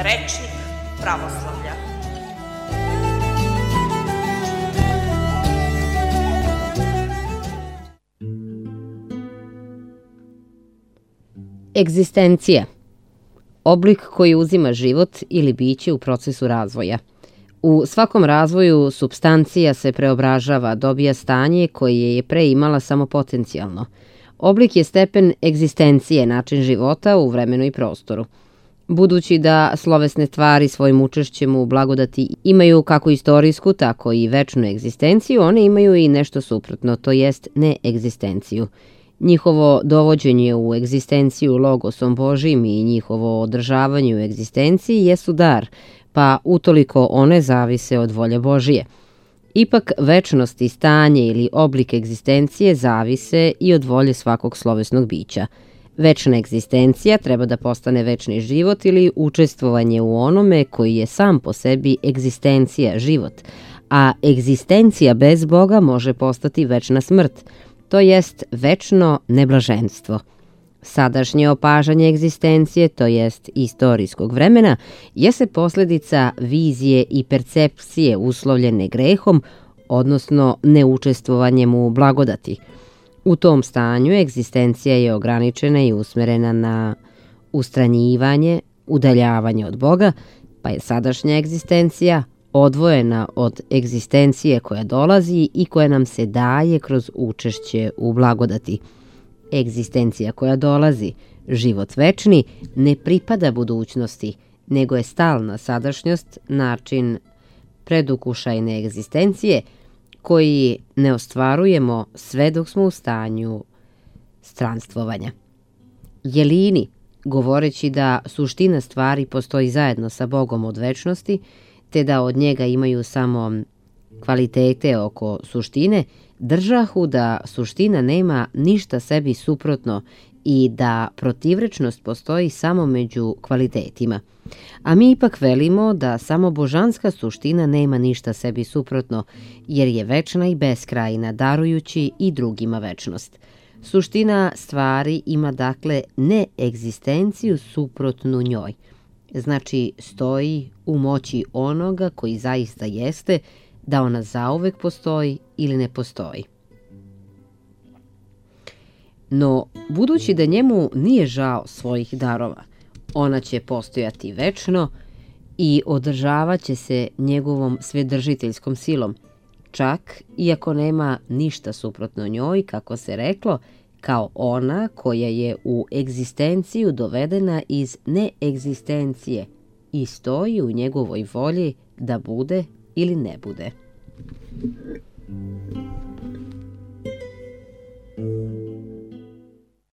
Rečnik pravoslavlja. Egzistencija. Oblik koji uzima život ili biće u procesu razvoja. U svakom razvoju supstancija se preobražava, dobija stanje koje je pre imala samo potencijalno. Oblik je stepen egzistencije, način života u vremenu i prostoru. Budući da slovesne stvari svojim učešćem u blagodati imaju kako istorijsku, tako i večnu egzistenciju, one imaju i nešto suprotno, to jest neegzistenciju. Njihovo dovođenje u egzistenciju logosom Božim i njihovo održavanje u egzistenciji jesu dar, pa utoliko one zavise od volje Božije. Ipak večnost i stanje ili oblik egzistencije zavise i od volje svakog slovesnog bića. Večna egzistencija treba da postane večni život ili učestvovanje u onome koji je sam po sebi egzistencija, život, a egzistencija bez Boga može postati večna smrt, to jest večno neblaženstvo. Sadašnje opažanje egzistencije, to jest istorijskog vremena, jeste posljedica vizije i percepcije uslovljene grehom, odnosno neučestvovanjem u blagodati. U tom stanju egzistencija je ograničena i usmerena na ustranjivanje, udaljavanje od Boga, pa je sadašnja egzistencija odvojena od egzistencije koja dolazi i koja nam se daje kroz učešće u blagodati. Egzistencija koja dolazi, život večni, ne pripada budućnosti, nego je stalna sadašnjost, način predukušajne egzistencije koji ne ostvarujemo sve dok smo u stanju stranstvovanja. Jelini, govoreći da suština stvari postoji zajedno sa Bogom od večnosti, te da od njega imaju samo kvalitete oko suštine, držahu da suština nema ništa sebi suprotno i da protivrečnost postoji samo među kvalitetima. A mi ipak velimo da samo božanska suština nema ništa sebi suprotno, jer je večna i beskrajna, darujući i drugima večnost. Suština stvari ima dakle neegzistenciju suprotnu njoj. Znači stoji u moći onoga koji zaista jeste, da ona zauvek postoji ili ne postoji. No, budući da njemu nije žao svojih darova, ona će postojati večno i održavat će se njegovom svedržiteljskom silom, čak iako nema ništa suprotno njoj, kako se reklo, kao ona koja je u egzistenciju dovedena iz neegzistencije i stoji u njegovoj volji da bude ili ne bude.